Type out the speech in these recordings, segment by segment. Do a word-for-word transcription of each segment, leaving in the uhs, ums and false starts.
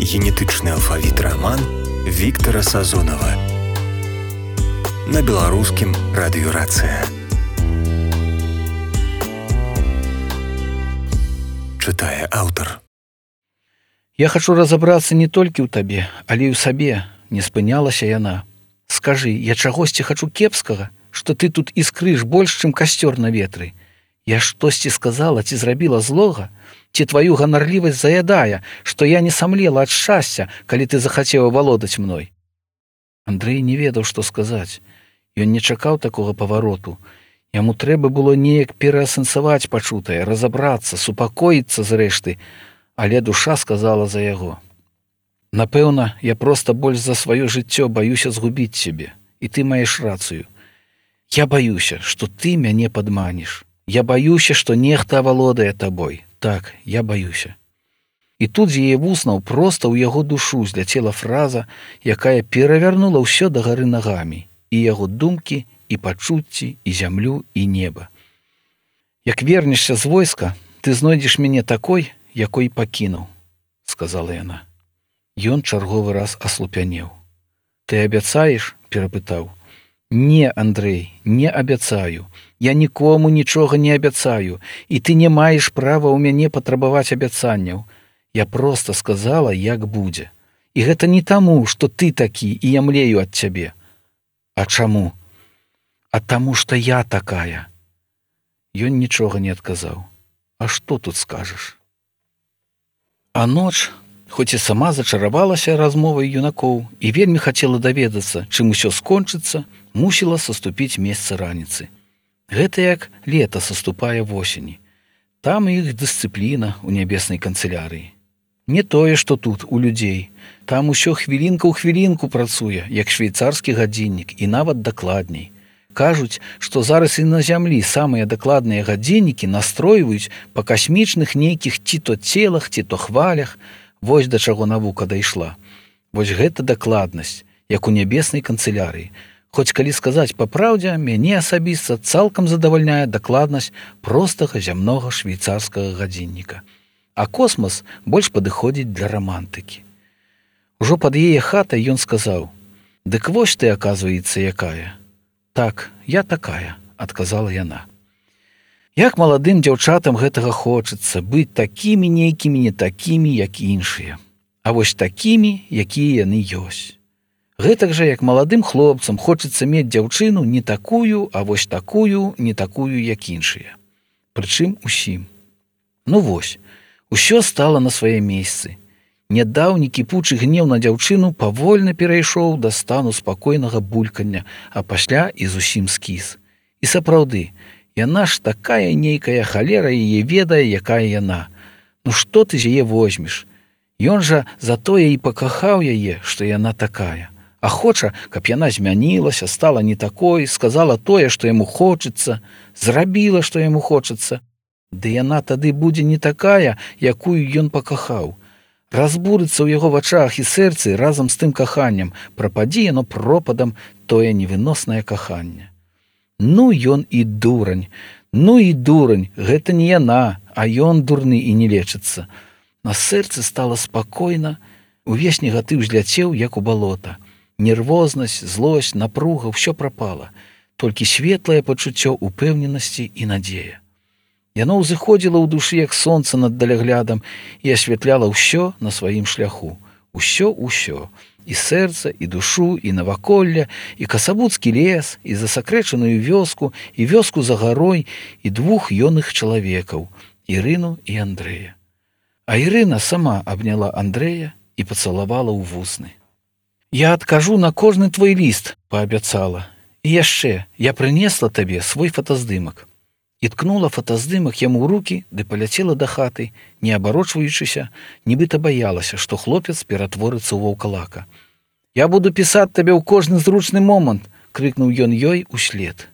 Генетычны алфавіт раман Віктара Сазонава на беларускім радыёрацыя. Чытае аўтар. Я хочу разобрацца не толькі ў табе, але і ў сабе, не спынялася яна. Скажы, я чагосьці хачу кепскага, што ты тут іскрыш больш, чым касцёр на ветры. Я штосьці сказала ці зрабіла злога, ці тваю ганарлівасць заядае, што я не самлела ад шчасця, калі ты захацеў валодаць мной. Андрэй не ведаў, што сказаць. Ён не чакаў такога павароту. Яму трэба было неяк пераасэнсаваць пачутае, разабрацца, супакоіцца зрэшты, але душа сказала за яго. Напэўна, я проста больш за сваё жыццё баюся згубіць цябе, і ты маеш рацыю. Я баюся, што ты мяне падманеш. Я баюся, што нехта авалодае табой. Так, я баюся. І тут з яе вуснаў проста ў яго душу зляцела фраза, якая перавярнула ўсё дагары нагамі, і яго думкі, і пачуцці, і зямлю, і неба. Як вернешся з войска, ты знойдзеш мяне такой, якой пакінуў, сказала яна. Ён чарговы раз аслупянеў. Ты абяцаеш? Перапытаў. Не, Андрэй, не абяцаю. Я нікому нічога не абяцаю, і ты не маеш права ў мяне патрабаваць абяцанняў. Я проста сказала, як будзе. І гэта не таму, што ты такі, і я млею ад цябе. А чаму? А таму, што я такая. Ён нічога не адказаў. А што тут скажаш? А ноч, хоць і сама зачаравалася размовай юнакоў і вельмі хацела даведацца, чым усё скончыцца, мусіла саступіць месца раніцы. Гэта як лета саступае восені. Там іх дысцыпліна ў нябеснай канцылярыі. Не тое, што тут, у людзей. Там усё хвілінка ў хвілінку працуе, як швейцарскі гадзіннік, і нават дакладней. Кажуць, што зараз і на зямлі самыя дакладныя гадзіннікі настройваюць па касмічных нейкіх ці то целах, ці то хвалях. Вось да чаго навука дайшла. Вось гэта дакладнасць, як у нябеснай канцылярыі. Хоць калі сказаць па праўдзе, мяне асабіста цалкам задавальняе дакладнасць простага зямнога швейцарскага гадзінніка. А космас больш падыходзіць для рамантыкі. Ужо пад яе хатай ён сказаў: «Дык вось ты, аказваецца, якая». «Так, я такая», — адказала яна. Як маладым дзяўчатам гэтага хочацца, быць такімі нейкімі не такімі, як іншыя. А вось такімі, якія яны ёсць. Гэтак жа, як маладым хлопцам хочацца мець дзяўчыну не такую, а вось такую, не такую, як іншыя. Прычым усім. Ну вось, усё стала на свае месцы. Нядаўні кіпучы гнеў на дзяўчыну павольна перайшоў да стану спакойнага булькання, а пасля і зусім скіс. І сапраўды, яна ж такая нейкая халера яе ведае, якая яна. Ну што ты з яе возьмеш? Ён жа затое і пакахаў яе, што яна такая. А хоча, каб яна змянілася, стала не такой, сказала тое, што яму хочацца, зрабіла, што яму хочацца. Ды яна тады будзе не такая, якую ён пакахаў. Разбурыцца ў яго вачах і сэрцы разам з тым каханнем, прападзе яно пропадам тое невыноснае каханне. Ну ён і дурань, ну і дурань, гэта не яна, а ён дурны і не лечыцца. На сэрцы стала спакойна, увесь негатыў зляцеў, як у балота. Нервознасць, злосць, напруга, ўсё прапала. Толькі светлае пачуццё упэўненасці і надзея. Яно ўзыходзіла ў душы, як сонца над даляглядам, і асвятляла ўсё на сваім шляху. Усё-усё. І сэрца, і душу, і наваколле, і касабуцкі лес, і засакрэчаную вёску, і вёску за гарой, і двух ёных чалавекаў – Ірыну і Андрэя. А Ірына сама абняла Андрэя і пацалавала ў вусны. «Я адкажу на кожны твой ліст», – паабяцала. «І яшчэ, я прынесла табе свой фотаздымак». І ткнула фотаздымак яму ў рукі, ды паляцела да хаты, не абарочваючыся, нібыта баялася, што хлопец ператворыцца ў ваўкалака. «Я буду пісаць табе ў кожны зручны момант», – крыкнуў ён ёй услед.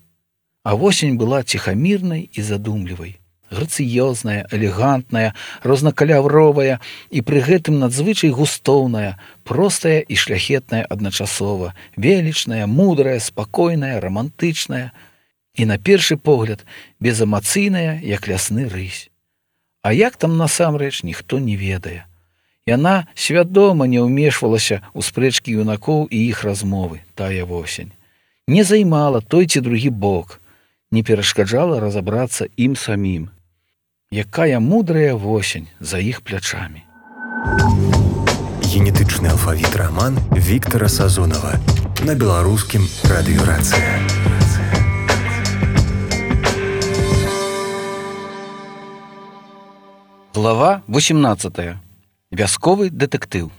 А восень была ціхамірнай і задумлівай, грацыёзная, элегантная, рознакаляровая і пры гэтым надзвычай густоўная, простая і шляхетная адначасова, велічная, мудрая, спакойная, рамантычная, і на першы погляд безэмацыйная, як лясны рысь. А як там насамрэч, ніхто не ведае. Яна свядома не ўмешвалася ў спрэчкі юнакоў і іх размовы, тая восень. Не займала той ці другі бок, не перашкаджала разабрацца ім самім. Якая мудрая восень за іх плячамі. Генетычны алфавіт раман Віктара Сазонава на беларускім радыё Рацыя. Глава восемнадцатая. Вясковы дэтэктыў.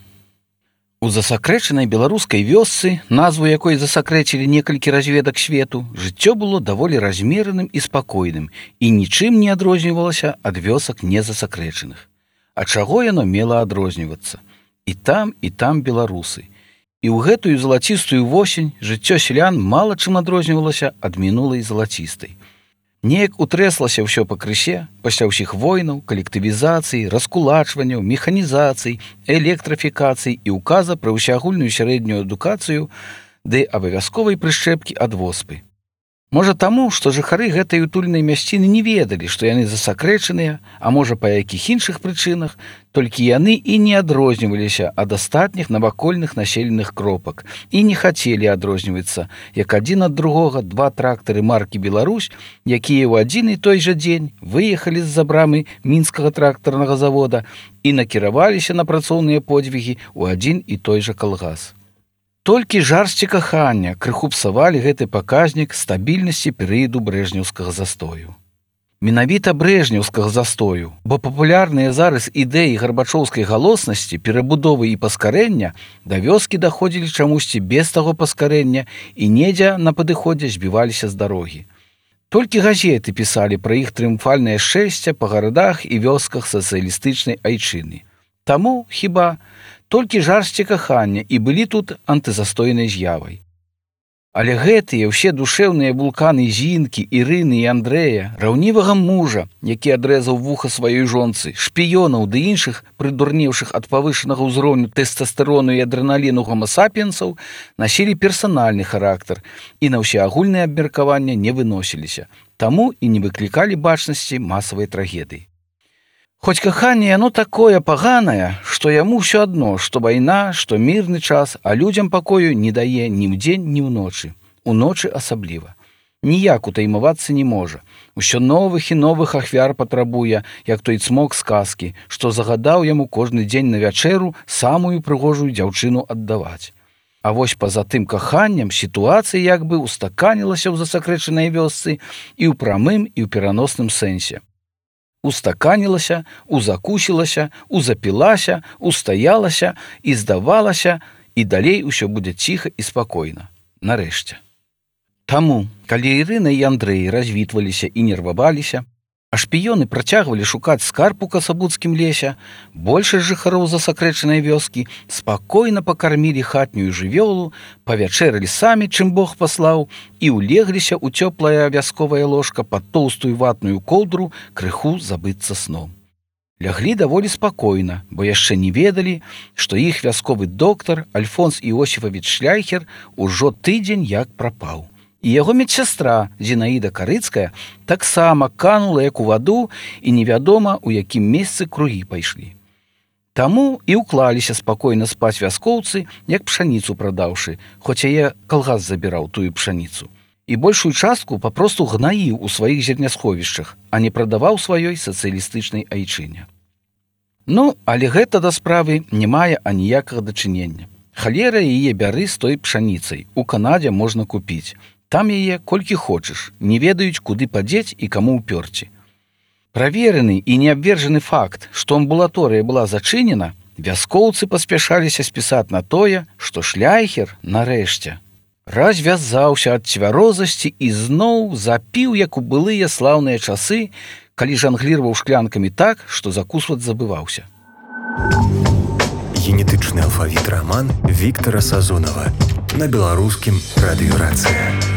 У засакрэчанай беларускай вёсцы, назву якой засакрэчылі некалькі разведак свету, жыццё было даволі размераным і спакойным і нічым не адрознівалася ад вёсак незасакрэчаных. А чаго яно мела адрознівацца? І там, і там беларусы. І ў гэтую залацістую восень жыццё сялян мала чым адрознівалася ад мінулай залацістай. Неяк утрэслася ўсё пакрысе пасля ўсіх войнаў, калектывізацыі, раскулачванняў, механізацый, электрафікацый і указа пра ўсеагульную сярэднюю адукацыю ды абавязковай прышчэпкі ад воспы. Можа таму, што жыхары гэтай утульнай мясціны не ведалі, што яны засакрэчаныя, а можа па якіх іншых прычынах, толькі яны і не адрозніваліся ад астатніх навакольных населеных кропак і не хацелі адрознівацца, як адзін ад другога два трактары маркі «Беларусь», якія ў адзін і той жа дзень выехалі з-за брамы мінскага трактарнага завода і накіраваліся на працоўныя подзвігі ў адзін і той жа калгас. Толькі жарсці кахання крыху псавалі гэты паказнік стабільнасці перыяду брэжнеўскага застою. Менавіта брэжнеўскага застою, бо папулярныя зараз ідэі гарбачоўскай галоснасці, перабудовы і паскарэння да вёскі даходзілі чамусьці без таго паскарэння і недзе на падыходзе збіваліся з дарогі. Толькі газеты пісалі пра іх трыумфальнае шэсце па гарадах і вёсках сацыялістычнай айчыны. Таму, хіба, толькі жарсці кахання і былі тут антызастойнай з'явай. Але гэтыя ўсе душэўныя вулканы Зінкі, Ірыны і Андрэя, раўнівага мужа, які адрэзаў вуха сваёй жонцы, шпіёнаў ды іншых, прыдурнеўшых ад павышанага ўзроўню тэстастэрону і адрэналіну гомасапіенсаў, насілі персанальны характар і на ўсеагульнае абмеркаванне не выносіліся, таму і не выклікалі бачнасці масавай трагедыі. Хоць каханне яно такое паганае, што яму ўсё адно, што вайна, што мірны час, а людзям пакою не дае ні ўдзень, ні ўночы. Уночы асабліва. Ніяк утаймавацца не можа. Усё новых і новых ахвяр патрабуе, як той цмок з казкі, што загадаў яму кожны дзень на вячэру самую прыгожую дзяўчыну аддаваць. А вось па-за тым каханнем сітуацыя як бы устаканілася ў засакрэчанай вёсцы і ў прамым, і ў пераносным сэнсе. Устаканілася, узакусілася, узапілася, устаялася і здавалася, і далей усё будзе ціха і спакойна. Нарэшце. Таму, калі Ірына і Андрэй развітваліся і нерваваліся, а шпіёны працягвалі шукаць скарб у касабуцкім лесе, большасць жыхароў засакрэчанай вёскі спакойна пакармілі хатнюю жывёлу, павячэралі самі, чым Бог паслаў, і ўлегліся ў цёплае вясковае ложка пад тоўстую ватную коўдру крыху забыцца сном. Ляглі даволі спакойна, бо яшчэ не ведалі, што іх вясковы доктар Альфонс Іосіфавіч Шляйхер ужо тыдзень як прапаў. І яго медсястра Зінаіда Карыцкая таксама канула як у ваду і невядома, у якім месцы кругі пайшлі. Таму і ўклаліся спакойна спаць вяскоўцы, як пшаніцу прадаўшы, хоць яе калгас забіраў тую пшаніцу. І большую частку папросту гнаіў у сваіх зернясховішчах, а не прадаваў сваёй сацыялістычнай айчыне. Ну, але гэта да справы не мае аніякага дачынення. Халера яе бяры з той пшаніцай, у Канадзе можна купіць. Там яе колькі хочаш, не ведаюць, куды падзець і каму ўпёрці. Праверены і неабвержаны факт, што амбулаторыя была зачынена, вяскоўцы паспяшаліся спісаць на тое, што Шляйхер, нарэшце, развязаўся ад цвярозасці і зноў запіў, як у былыя слаўныя часы, калі жангліраваў шклянкамі так, што закусваць забываўся. Генетычны алфавіт раман Віктара Сазонава на беларускім радыё Рацыя.